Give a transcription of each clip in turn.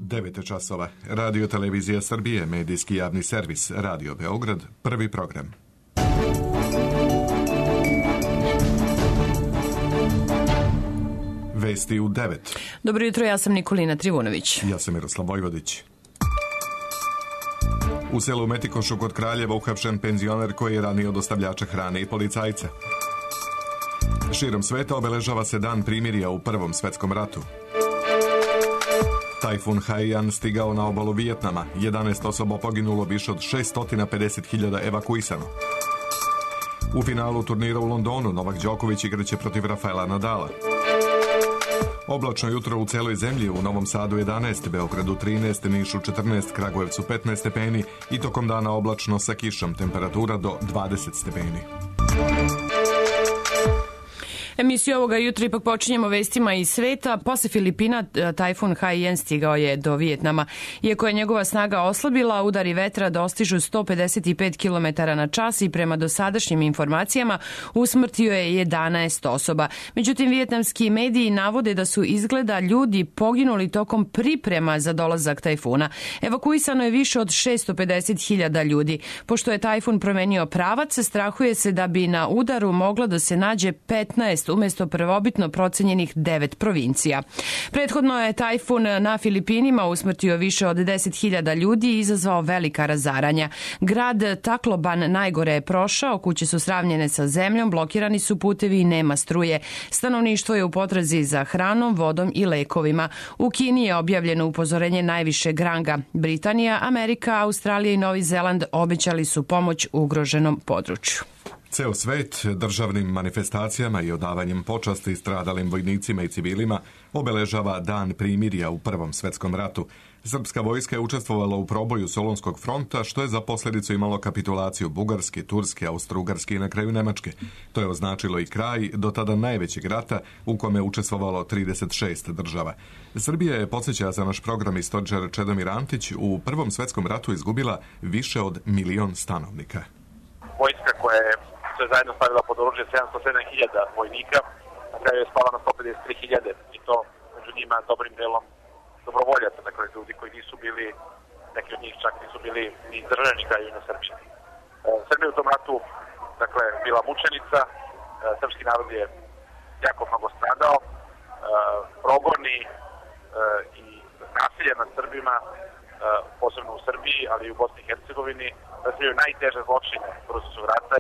9 časova. Radio Televizija Srbije, medijski javni servis, Radio Beograd, prvi program. Vesti u 9. Dobro jutro, ja sam Nikolina Trivunović. Ja sam Miroslav Vojvodić. U selu Metikošu kod Kraljeva uhapšen penzioner koji je ranio dostavljača hrane i policajca. Širom sveta obeležava se dan primirja u Prvom svetskom ratu. Tajfun Haiyan stigao na obalu Vijetnama, 11 osoba poginulo, više od 650.000 evakuisano. U finalu turnira u Londonu Novak Đoković igraće protiv Rafaela Nadala. Oblačno jutro u celoj zemlji, u Novom Sadu 11, Beogradu 13, Nišu 14, Kragujevcu 15 stepeni i tokom dana oblačno sa kišom, temperatura do 20 stepeni. Emisiju ovoga jutra ipak počinjemo vestima iz sveta. Posle Filipina tajfun Haiyan stigao je do Vijetnama. Iako je njegova snaga oslabila, udari vetra dostižu 155 km na čas i prema dosadašnjim informacijama usmrtio je 11 osoba. Međutim, vijetnamski mediji navode da su izgleda ljudi poginuli tokom priprema za dolazak tajfuna. Evakuisano je više od 650.000 ljudi. Pošto je tajfun promenio pravac, strahuje se da bi na udaru moglo da se nađe 15 umesto prvobitno procenjenih 9 provincija. Prethodno je tajfun na Filipinima usmrtio više od 10.000 ljudi i izazvao velika razaranja. Grad Tacloban najgore je prošao, kuće su sravnjene sa zemljom, blokirani su putevi i nema struje. Stanovništvo je u potrazi za hranom, vodom i lekovima. U Kini je objavljeno upozorenje najvišeg ranga. Britanija, Amerika, Australija i Novi Zeland obećali su pomoć ugroženom području. Ceo svet državnim manifestacijama i odavanjem počasti stradalim vojnicima i civilima obeležava dan primirja u Prvom svetskom ratu. Srpska vojska je učestvovala u proboju Solunskog fronta, što je za posljedicu imalo kapitulaciju Bugarske, Turske, Austro-Ugarske i na kraju Nemačke. To je označilo i kraj do tada najvećeg rata u kome je učestvovalo 36 država. Srbija je, podsjeća za naš program istoričar Čedomir Antić, u Prvom svetskom ratu izgubila više od 1.000.000 stanovnika. Vojska koja je sve zajedno stavila pod oružje 707.000 vojnika, na kraju je spala na 153.000 i to među njima dobrim delom dobrovoljaca, dakle ljudi koji nisu bili, neki od njih čak nisu bili ni izdržani kraju na Srbiji. Srbija u tom ratu, dakle, bila mučenica, srpski narod je jako mnogo stradao, progoni i nasilje nad Srbima, posebno u Srbiji, ali i u Bosni i Hercegovini, predstavljaju najteže zločine Prvog svjetskog rata.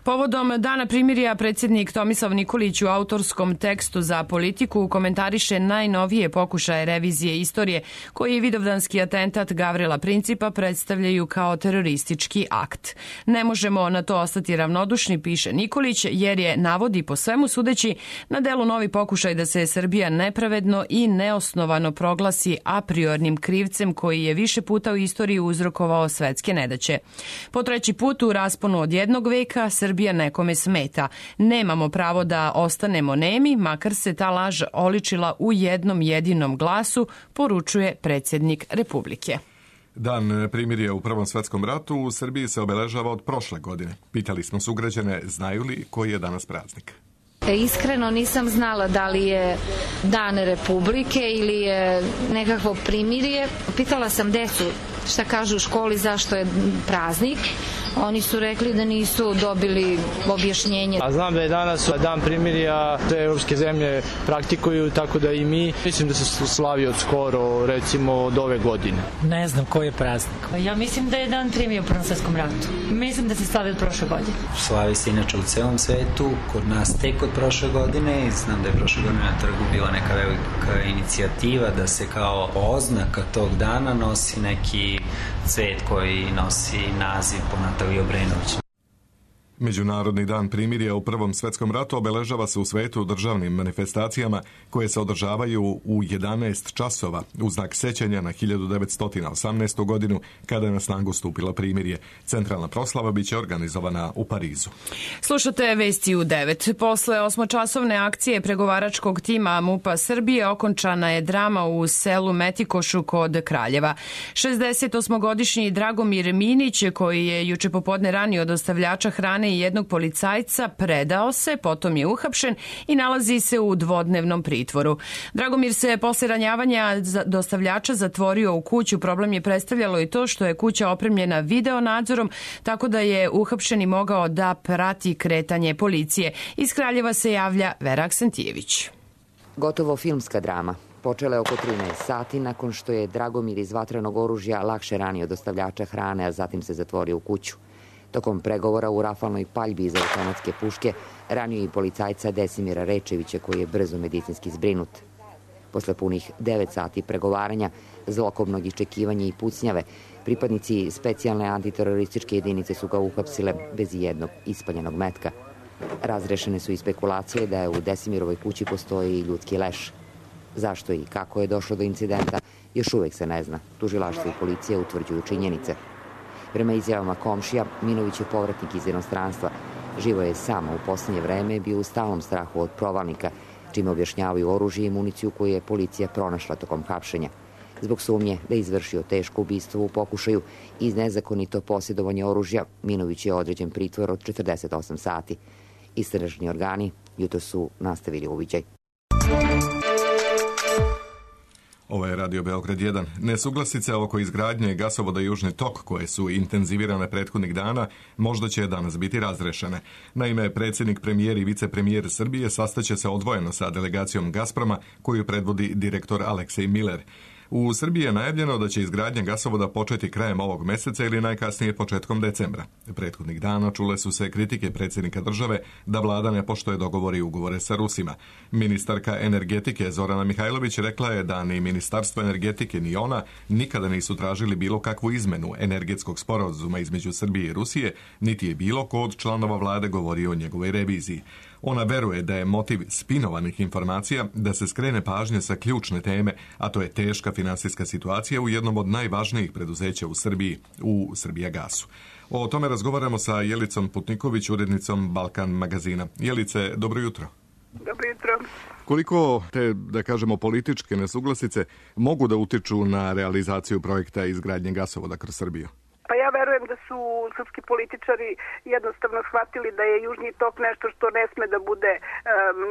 Povodom dana primirja predsjednik Tomislav Nikolić u autorskom tekstu za Politiku komentariše najnovije pokušaje revizije istorije koji vidovdanski atentat Gavrila Principa predstavljaju kao teroristički akt. Ne možemo na to ostati ravnodušni, piše Nikolić, jer je, navodi po svemu sudeći, na delu novi pokušaj da se Srbija nepravedno i neosnovano proglasi a priornim krivcem koji je više puta u istoriji uzrokovao svetske nedaće. Po treći put u rasponu od jednog veka Srbija nekome smeta. Nemamo pravo da ostanemo nemi, makar se ta laž oličila u jednom jedinom glasu, poručuje predsjednik Republike. Dan primirja u Prvom svetskom ratu u Srbiji se obeležava od prošle godine. Pitali smo sugrađane, znaju li koji je danas praznik. Iskreno nisam znala da li je Dan Republike ili je nekakvo primirje. Pitala sam decu šta kažu u školi zašto je praznik. Oni su rekli da nisu dobili objašnjenje. A znam da je danas dan primirja, te evropske zemlje praktikuju, tako da i mi. Mislim da se slavi od skoro, recimo od ove godine. Ne znam koji je praznik. Ja mislim da je dan primirja u Prvom svetskom ratu. Mislim da se slavi od prošle godine. Slavi se inače u celom svetu, kod nas tek od prošle godine i znam da je prošle godine na trgu bila neka velika inicijativa da se kao oznaka tog dana nosi neki cvet koji nosi naziv po Nataliji Obrenović. Međunarodni dan primirja u Prvom svetskom ratu obeležava se u svetu državnim manifestacijama koje se održavaju u 11 časova u znak sećanja na 1918. godinu kada je na snagu stupilo primirje. Centralna proslava biće organizovana u Parizu. Slušate vesti u 9. Posle osmočasovne akcije pregovaračkog tima MUP-a Srbije okončana je drama u selu Metikošu kod Kraljeva. 68-godišnji Dragomir Minić, koji je juče popodne ranio dostavljača hrane strane i jednog policajca, predao se, potom je uhapšen i nalazi se u dvodnevnom pritvoru. Dragomir se posle ranjavanja dostavljača zatvorio u kuću. Problem je predstavljalo i to što je kuća opremljena video nadzorom, tako da je uhapšeni mogao da prati kretanje policije. Iz Kraljeva se javlja Vera Aksentijević. Gotovo filmska drama. Počela je oko 13 sati nakon što je Dragomir iz vatrenog oružja lakše ranio dostavljača hrane, a zatim se zatvorio u kuću. Tokom pregovora u rafalnoj paljbi iz automatske puške ranio i policajca Desimira Rečevića, koji je brzo medicinski zbrinut. Posle punih 9 sati pregovaranja, zlokobnog iščekivanja i pucnjave, pripadnici specijalne antiterorističke jedinice su ga uhapsile bez jednog ispaljenog metka. Razrešene su i spekulacije da je u Desimirovoj kući postoji ljudski leš. Zašto i kako je došlo do incidenta, još uvek se ne zna. Tužilaštvo i policija utvrđuju činjenice. Prema izjavama komšija, Minović je povratnik iz inostranstva. Živo je sam, u poslednje vreme bio u stalnom strahu od provalnika, čime objašnjavaju oružje i municiju koju je policija pronašla tokom hapšenja. Zbog sumnje da je izvršio teško ubistvo u pokušaju i nezakonito posjedovanje oružja, Minović je određen pritvor od 48 sati. Istražni organi jutro su nastavili uviđaj. Ovo je Radio Beograd 1. Nesuglasice oko izgradnje gasovoda Južni tok, koje su intenzivirane prethodnih dana, možda će danas biti razrešene. Naime, predsjednik, premijer i vicepremijer Srbije sastaće se odvojeno sa delegacijom Gazproma, koju predvodi direktor Aleksej Miller. U Srbiji je najavljeno da će izgradnja gasovoda početi krajem ovog meseca ili najkasnije početkom decembra. Prethodnih dana čule su se kritike predsjednika države da vlada ne poštuje dogovore i ugovore sa Rusima. Ministarka energetike Zorana Mihajlović rekla je da ni Ministarstvo energetike ni ona nikada nisu tražili bilo kakvu izmenu energetskog sporazuma između Srbije i Rusije, niti je bilo ko od članova vlade govorio o njegovoj reviziji. Ona veruje da je motiv spinovanih informacija da se skrene pažnje sa ključne teme, a to je teška finansijska situacija u jednom od najvažnijih preduzeća u Srbiji, u Srbijagasu. O tome razgovaramo sa Jelicom Putniković, urednicom Balkan magazina. Jelice, dobro jutro. Dobro jutro. Koliko te, da kažemo, političke nesuglasice mogu da utiču na realizaciju projekta izgradnje gasovoda kroz Srbiju? Pa ja verujem da su srpski političari jednostavno shvatili da je Južni tok nešto što ne sme da bude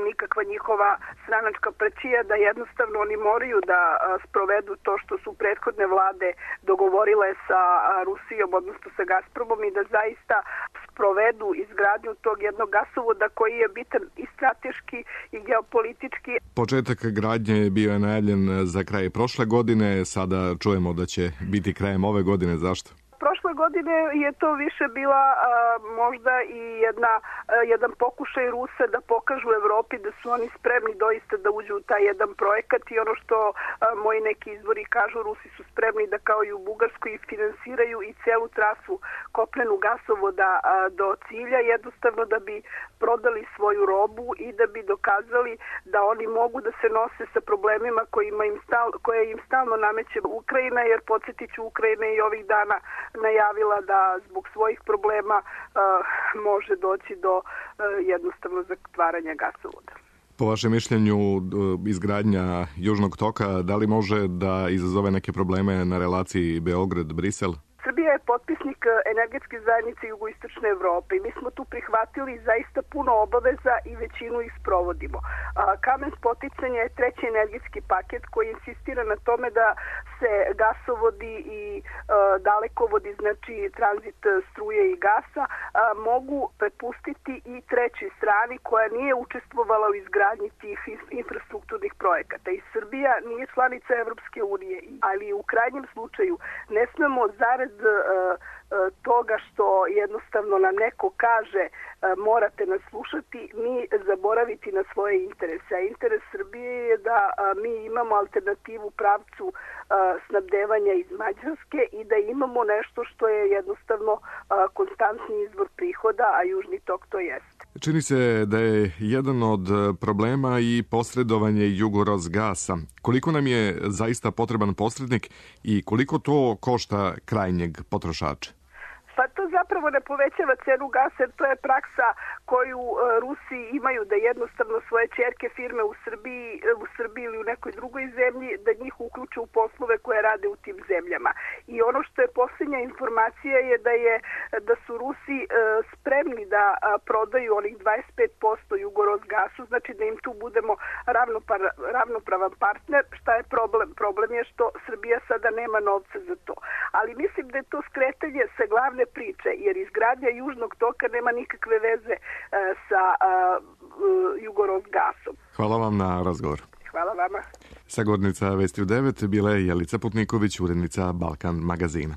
nikakva njihova stranačka prečija, da jednostavno oni moraju da sprovedu to što su prethodne vlade dogovorile sa Rusijom, odnosno sa Gazpromom, i da zaista sprovedu izgradnju tog jednog gasovoda koji je bitan i strateški i geopolitički. Početak gradnje bio je najavljen za kraj prošle godine, sada čujemo da će biti krajem ove godine. Zašto? Prošle godine je to više bila možda i jedan pokušaj Rusa da pokažu Evropi da su oni spremni doista da uđu u taj jedan projekat, i ono što moji neki izvori kažu, Rusi su spremni da kao i u Bugarskoj finansiraju i celu trasu kopnenu gasovoda do cilja, jednostavno da bi prodali svoju robu i da bi dokazali da oni mogu da se nose sa problemima koje im stalno nameće Ukrajina, jer podsjetit ću, Ukrajina i ovih dana najavila da zbog svojih problema može doći do jednostavno zatvaranja gasovoda. Po vašem mišljenju, izgradnja Južnog toka, da li može da izazove neke probleme na relaciji Beograd-Brisel? Srbija je potpisnik energetske zajednice jugoistočne Evrope i mi smo tu prihvatili zaista puno obaveza i većinu ih sprovodimo. Kamen spoticanja je treći energetski paket koji insistira na tome da se gasovodi i dalekovodi, znači tranzit struje i gasa, mogu prepustiti i trećoj strani koja nije učestvovala u izgradnji tih infrastrukturnih projekata. I Srbija nije članica Evropske unije, ali u krajnjem slučaju ne smemo zarad toga što jednostavno nam neko kaže morate nas slušati, mi zaboraviti na svoje interese. A interes Srbije je da mi imamo alternativu pravcu snabdevanja iz Mađarske i da imamo nešto što je jednostavno konstantni izvor prihoda, a Južni tok to jeste. Čini se da je jedan od problema i posredovanje Jugorozgasa. Koliko nam je zaista potreban posrednik i koliko to košta krajnjeg potrošača? Pa to zapravo ne povećava cenu gasa, jer to je praksa koju Rusi imaju, da jednostavno svoje ćerke firme u Srbiji ili u nekoj drugoj zemlji, da njih uključe u poslove koje rade u tim zemljama. I ono što je posljednja informacija je da su Rusi spremni da prodaju onih 25% Jugorosgasu, znači da im tu budemo ravnopravan partner. Šta je problem? Problem je što Srbija sada nema novca za to. Ali mislim da je to skretanje sa glavne priče, jer izgradnja Južnog toka nema nikakve veze sa Jugorosgasom. Hvala vam na razgovor. Hvala vama. Sagovornica Vesti u 9 bila je Jelica Putniković, urednica Balkan magazina.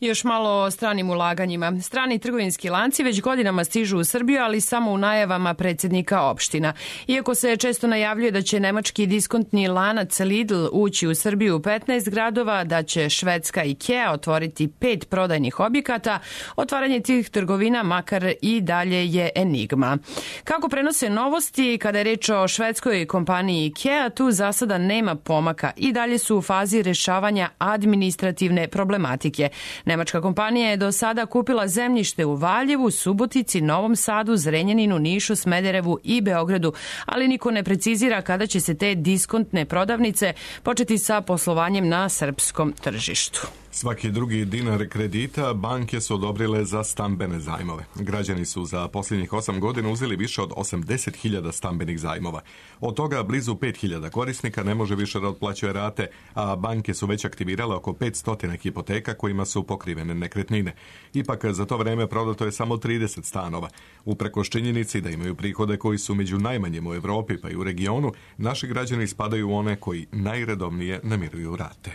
Još malo o stranim ulaganjima. Strani trgovinski lanci već godinama stižu u Srbiju, ali samo u najavama predsjednika opština. Iako se često najavljuje da će nemački diskontni lanac Lidl ući u Srbiju u 15 gradova, da će švedska IKEA otvoriti 5 prodajnih objekata, otvaranje tih trgovina makar i dalje je enigma. Kako prenose novosti, kada je reč o švedskoj kompaniji IKEA, tu za sada nema pomaka i dalje su u fazi rešavanja administrativne problematike. Nemačka kompanija je do sada kupila zemljište u Valjevu, Subotici, Novom Sadu, Zrenjaninu, Nišu, Smederevu i Beogradu, ali niko ne precizira kada će se te diskontne prodavnice početi sa poslovanjem na srpskom tržištu. Svaki drugi dinar kredita banke su odobrile za stambene zajmove. Građani su za posljednjih 8 godina uzeli više od 80.000 stambenih zajmova. Od toga blizu 5.000 korisnika ne može više da otplaćuje rate, a banke su već aktivirale oko 500 hipoteka kojima su pokrivene nekretnine. Ipak za to vreme prodato je samo 30 stanova. Uprkos činjenici da imaju prihode koji su među najmanjim u Evropi pa i u regionu, naši građani spadaju u one koji najredovnije namiruju rate.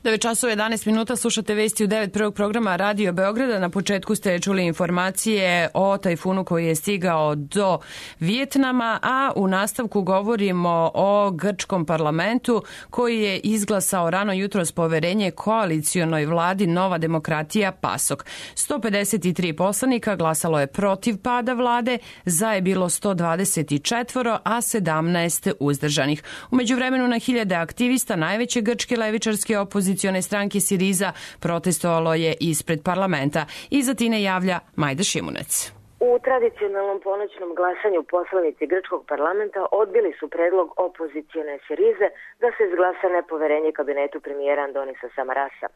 9:11 minuta. Slušate Vesti u 9 prvog programa Radio Beograda. Na početku ste čuli informacije o tajfunu koji je stigao do Vijetnama, a u nastavku govorimo o grčkom parlamentu koji je izglasao rano jutros poverenje koalicionoj vladi Nova demokratija PASOK. 153 poslanika glasalo je protiv pada vlade, za je bilo 124, a 17 uzdržanih. U međuvremenu na hiljade aktivista najveće grčke levičarske opozicione stranke Siriza protestovalo je ispred parlamenta. Iz Atine javlja Majda Šimunec. U tradicionalnom ponoćnom glasanju poslanici grčkog parlamenta odbili su predlog opozicione Sirize da se izglasa nepoverenje kabinetu premijera Andonisa Samarasa.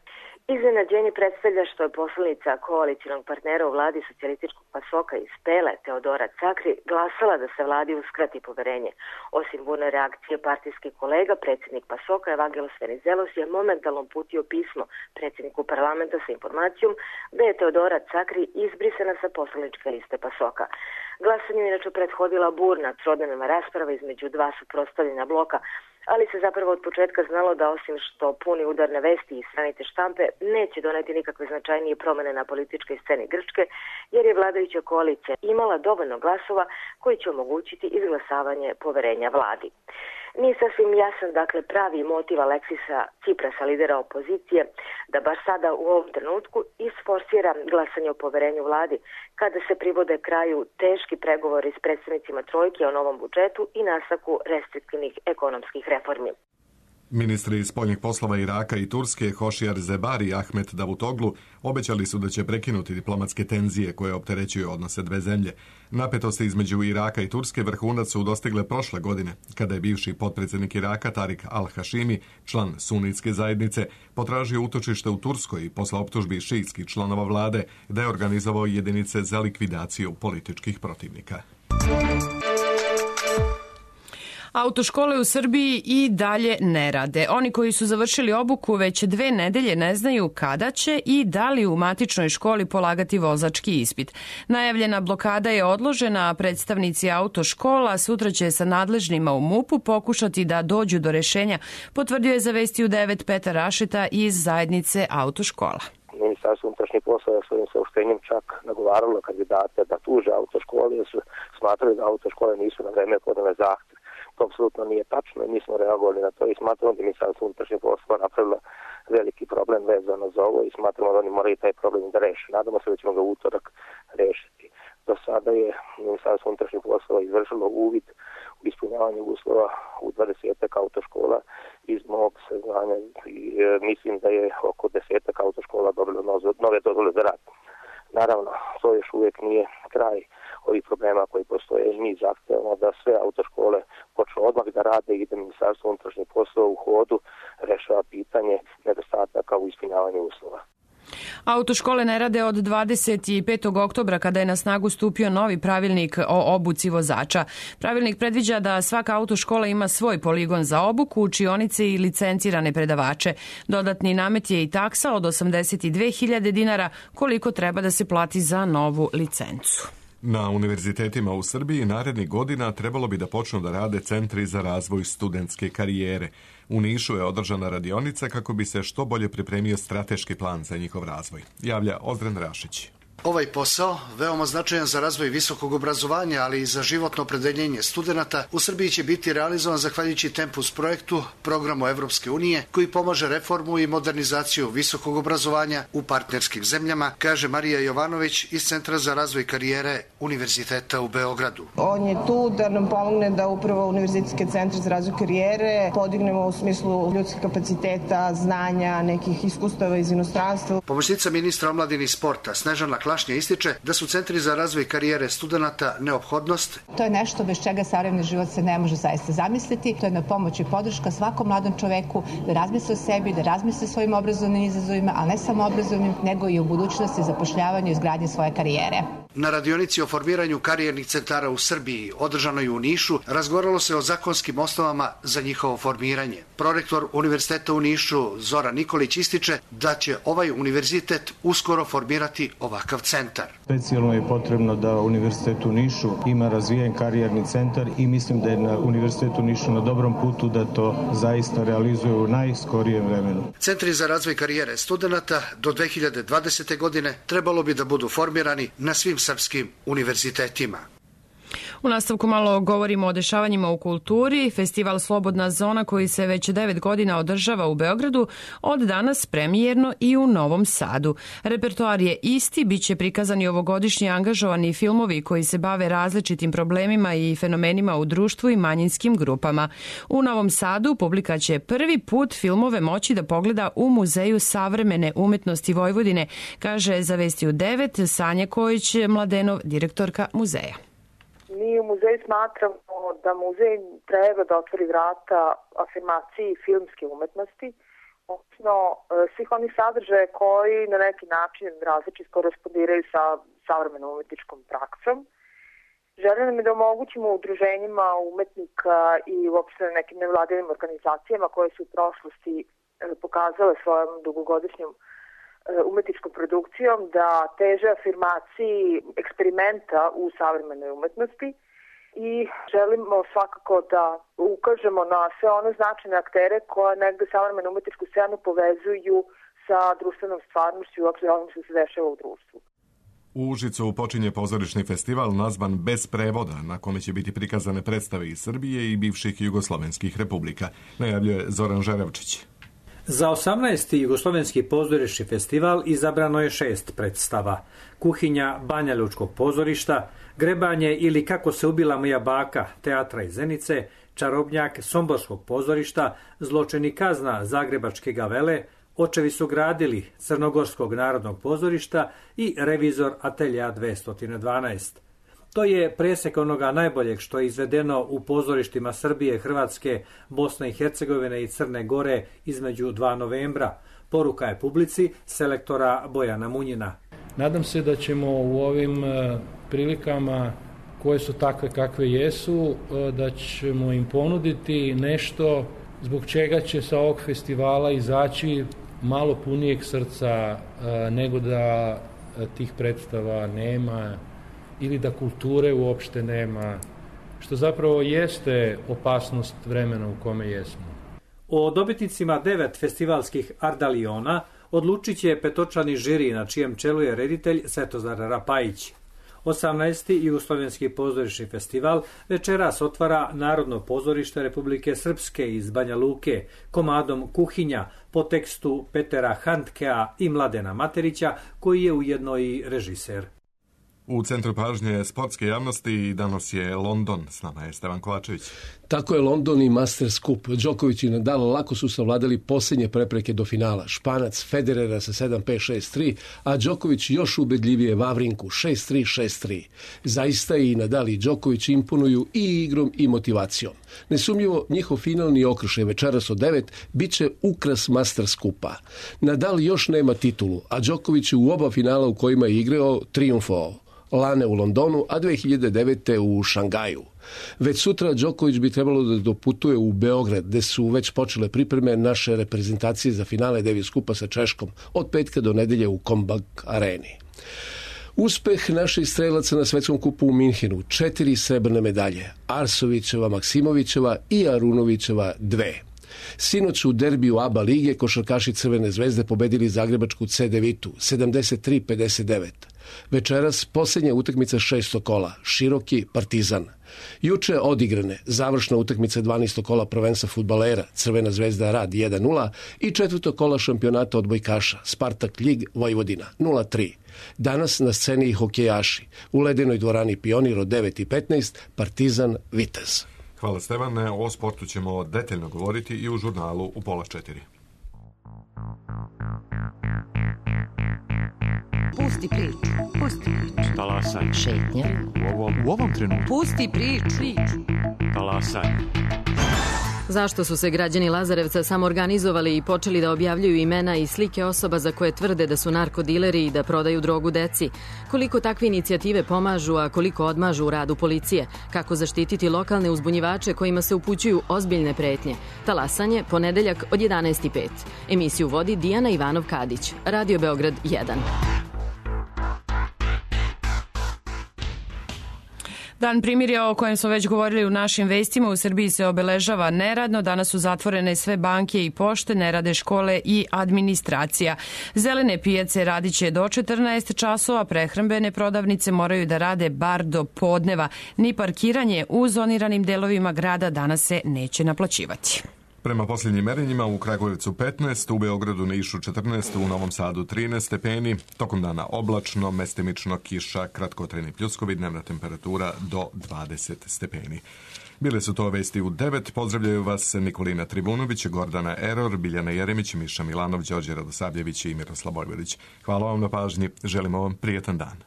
Iznenađenje predstavlja što je poslanica koalicionog partnera u vladi socijalističkog PASOK-a iz Pele, Teodora Cakri, glasala da se vladi uskrati poverenje. Osim burne reakcije partijskih kolega, predsjednik PASOK-a Evangelos Venizelos je momentalno uputio pismo predsjedniku parlamenta sa informacijom da je Teodora Cakri izbrisana sa poslaničke liste PASOK-a. Glasanju inače prethodila burna trodnevna rasprava između dva suprotstavljena bloka, ali se zapravo od početka znalo da osim što puni udarne vesti i stranite štampe neće doneti nikakve značajnije promjene na političkoj sceni Grčke, jer je vladajuća koalicija imala dovoljno glasova koji će omogućiti izglasavanje poverenja vladi. Nije sasvim jasan, dakle, pravi motiv Aleksisa Tsiprasa, lidera opozicije, da baš sada u ovom trenutku isforsira glasanje o poverenju vladi, kada se privode kraju teški pregovori s predstavnicima trojke o novom budžetu i nastavku restriktivnih ekonomskih reformi. Ministri spoljnih poslova Iraka i Turske, Hošijar Zebari i Ahmet Davutoglu, obećali su da će prekinuti diplomatske tenzije koje opterećuju odnose dve zemlje. Napetosti između Iraka i Turske vrhunac su dostigle prošle godine, kada je bivši potpredsjednik Iraka Tarik al-Hašimi, član sunitske zajednice, potražio utočište u Turskoj posle optužbi šiitskih članova vlade da je organizovao jedinice za likvidaciju političkih protivnika. Autoškole u Srbiji i dalje ne rade. Oni koji su završili obuku već 2 nedelje ne znaju kada će i da li u matičnoj školi polagati vozački ispit. Najavljena blokada je odložena, a predstavnici autoškola sutra će sa nadležnima u MUP-u pokušati da dođu do rešenja, potvrdio je za Vesti u 9 Petar Rašeta iz zajednice autoškola. Ministarstvo unutrašnjih poslova svojim saopštenjem čak nagovaralo kandidate da tuže autoškole, jer su smatrali da autoškole nisu na vreme podale zahtev. To apsolutno nije tačno i mi smo reagovali na to i smatramo da Ministarstvo unutrašnjih poslova napravilo veliki problem vezano za ovo i smatramo da oni moraju taj problem da reše. Nadamo se da ćemo ga u utorak rešiti. Do sada je Ministarstvo unutrašnjih poslova izvršilo uvid u ispunjavanju uslova u 20 autoškola. Iz mog saznanja mislim da je oko 10 autoškola dobilo nove dozvole za rad. Naravno, to još uvijek nije kraj ovih problema koji postoje. Mi zahtevamo da sve autoškole počnu odmah da rade i da Ministarstvo unutrašnjih poslova u hodu rešava pitanje nedostataka u ispunjavanju uslova. Autoškole ne rade od 25. oktobra kada je na snagu stupio novi pravilnik o obuci vozača. Pravilnik predviđa da svaka autoškola ima svoj poligon za obuku, učionice i licencirane predavače. Dodatni namet je i taksa od 82.000 dinara koliko treba da se plati za novu licencu. Na univerzitetima u Srbiji narednih godina trebalo bi da počnu da rade centri za razvoj studentske karijere. U Nišu je održana radionica kako bi se što bolje pripremio strateški plan za njihov razvoj. Javlja Ozdren Rašić. Ovaj posao, veoma značajan za razvoj visokog obrazovanja, ali i za životno opredeljenje studenata, u Srbiji će biti realizovan zahvaljujući Tempus projektu, programu Evropske unije, koji pomaže reformu i modernizaciju visokog obrazovanja u partnerskim zemljama, kaže Marija Jovanović iz Centra za razvoj karijere Univerziteta u Beogradu. On je tu da nam pomogne da upravo univerzitetske centre za razvoj karijere podignemo u smislu ljudskih kapaciteta, znanja, nekih iskustava iz inostranstva. Pomoćnica ministra omladine i sporta Snežana Klašnja ističe da su centri za razvoj karijere studenata neophodnost. To je nešto bez čega savremeni život se ne može zaista zamisliti. To je na pomoć i podrška svakom mladom čoveku da razmisli o sebi, da razmisli o svojim obrazovnim izazovima, ali ne samo obrazovnim, nego i u budućnosti zapošljavanju i izgradnji svoje karijere. Na radionici o formiranju karijernih centara u Srbiji, održanoj u Nišu, razgovaralo se o zakonskim osnovama za njihovo formiranje. Prorektor Univerziteta u Nišu, Zoran Nikolić, ističe da će ovaj univerzitet uskoro formirati ovakav centar. Specijalno je potrebno da Univerzitet u Nišu ima razvijen karijerni centar i mislim da je na Univerzitetu u Nišu na dobrom putu da to zaista realizuje u najskorijem vremenu. Centri za razvoj karijere studenata do 2020. godine trebalo bi da budu formirani na svim srpskim univerzitetima. U nastavku malo govorimo o dešavanjima u kulturi. Festival Slobodna zona koji se već 9 godina održava u Beogradu od danas premijerno i u Novom Sadu. Repertoar je isti, bit će prikazani ovogodišnji angažovani filmovi koji se bave različitim problemima i fenomenima u društvu i manjinskim grupama. U Novom Sadu publika će prvi put filmove moći da pogleda u Muzeju savremene umetnosti Vojvodine, kaže za Vesti u 9 Sanja Kojić-Mladenov, direktorka muzeja. Mi u muzeju smatramo da muzej treba da otvori vrata afirmaciji filmske umetnosti, odnosno svih onih sadržaja koji na neki način različito korespondiraju sa savremenom umetničkom praksom. Želim nam je da omogućimo udruženjima umetnika i uopšte nekim nevladinim organizacijama koje su u prošlosti pokazale svojom dugogodišnjom umetničkom produkcijom da teže afirmaciji eksperimenta u savremenoj umetnosti i želimo svakako da ukažemo na sve one značajne aktere koje negde savremenu umetničku scenu povezuju sa društvenom stvarnošću i uopšte onim što se dešava u društvu. U Užicu počinje pozorišni festival nazvan Bez prevoda, na kome će biti prikazane predstave iz Srbije i bivših jugoslovenskih republika, najavljuje Zoran Žerevčić. Za 18. jugoslovenski pozorišni festival izabrano je 6 predstava. Kuhinja Banja Lučkog pozorišta, Grebanje ili Kako se ubila moja baka teatra iz Zenice, Čarobnjak Somborskog pozorišta, Zločin i kazna Zagrebačke gavele, Očevi su gradili Crnogorskog narodnog pozorišta i Revizor Atelja 212. To je presek onoga najboljeg što je izvedeno u pozorištima Srbije, Hrvatske, Bosne i Hercegovine i Crne Gore između 2 novembra. Poruka je publici selektora Bojana Munjina. Nadam se da ćemo u ovim prilikama koje su takve kakve jesu, da ćemo im ponuditi nešto zbog čega će sa ovog festivala izaći malo punijeg srca nego da tih predstava nema ili da kulture uopšte nema, što zapravo jeste opasnost vremena u kome jesmo. O dobitnicima 9 festivalskih Ardaliona odlučit će petočlani žiri na čijem čelu je reditelj Svetozar Rapajić. 18. jugoslovenski pozorišni festival večeras otvara Narodno pozorište Republike Srpske iz Banja Luke komadom Kuhinja po tekstu Petera Handkea i Mladena Materića, koji je ujedno i režiser. U centru pažnje sportske javnosti danas je London. S nama je Stevan Kovačević. Tako je London i Masters Cup. Djokovic i Nadal lako su savladali posljednje prepreke do finala. Španac Federera sa 7-5, 6-3, a Djokovic još ubedljivije Vavrinku 6-3, 6-3. Zaista i Nadal i Djokovic imponuju i igrom i motivacijom. Nesumnjivo, njihov finalni okršaj večeras od 9 bit će ukras Masters Cupa. Nadal još nema titulu, a Djokovic u oba finala u kojima je igrao trijumfovao. Lane u Londonu, a 2009. u Šangaju. Već sutra Djokovic bi trebalo da doputuje u Beograd, gde su već počele pripreme naše reprezentacije za finale Davis Kupa sa Češkom od petka do nedelje u Kombank areni. Uspeh naših strelaca na svetskom kupu u Minhenu, 4 srebrne medalje, Arsovićeva, Maksimovićeva i Arunovićeva 2. Sinoć u derbiju ABA lige košarkaši Crvene zvezde pobedili zagrebačku CD-Vitu 73-59. Večeras posljednja utakmica 6. kola, Široki Partizan. Juče odigrane završna utakmica 12. kola prvenstva fudbalera, Crvena zvezda Rad 1-0 i 4. kola šampionata odbojkaša, Spartak Ljig Vojvodina 0-3. Danas na sceni i hokejaši, u ledenoj dvorani Pionir od 9:15, Partizan Vitez. Hvala Stevane, o sportu ćemo detaljno govoriti i u žurnalu u 3:30. Pusti priču. Pusti priču. Talasaj. Šetnja. U ovom trenutku. Pusti priču. Talasaj. Zašto su se građani Lazarevca samoorganizovali i počeli da objavljuju imena i slike osoba za koje tvrde da su narkodileri i da prodaju drogu deci? Koliko takve inicijative pomažu, a koliko odmažu u radu policije? Kako zaštititi lokalne uzbunjivače kojima se upućuju ozbiljne pretnje? Talasanje, ponedeljak od 11:05. Emisiju vodi Dijana Ivanov-Kadić. Radio Beograd 1. Dan primirja o kojem smo već govorili u našim vestima, u Srbiji se obeležava neradno. Danas su zatvorene sve banke i pošte, ne rade škole i administracija. Zelene pijace radit će do 14 časova, prehrambene prodavnice moraju da rade bar do podneva. Ni parkiranje u zoniranim delovima grada danas se neće naplaćivati. Prema posljednjim merenjima u Kragujevcu 15, u Beogradu, Nišu 14, u Novom Sadu 13 stepeni, tokom dana oblačno, mestimično kiša, kratkotrajni pljuskovi, dnevna temperatura do 20 stepeni. Bile su to vesti u 9, pozdravljaju vas Nikolina Tribunović, Gordana Eror, Biljana Jeremić, Miša Milanov, Đorđe Radosavljević i Miroslav Bojvodić. Hvala vam na pažnji, želimo vam prijetan dan.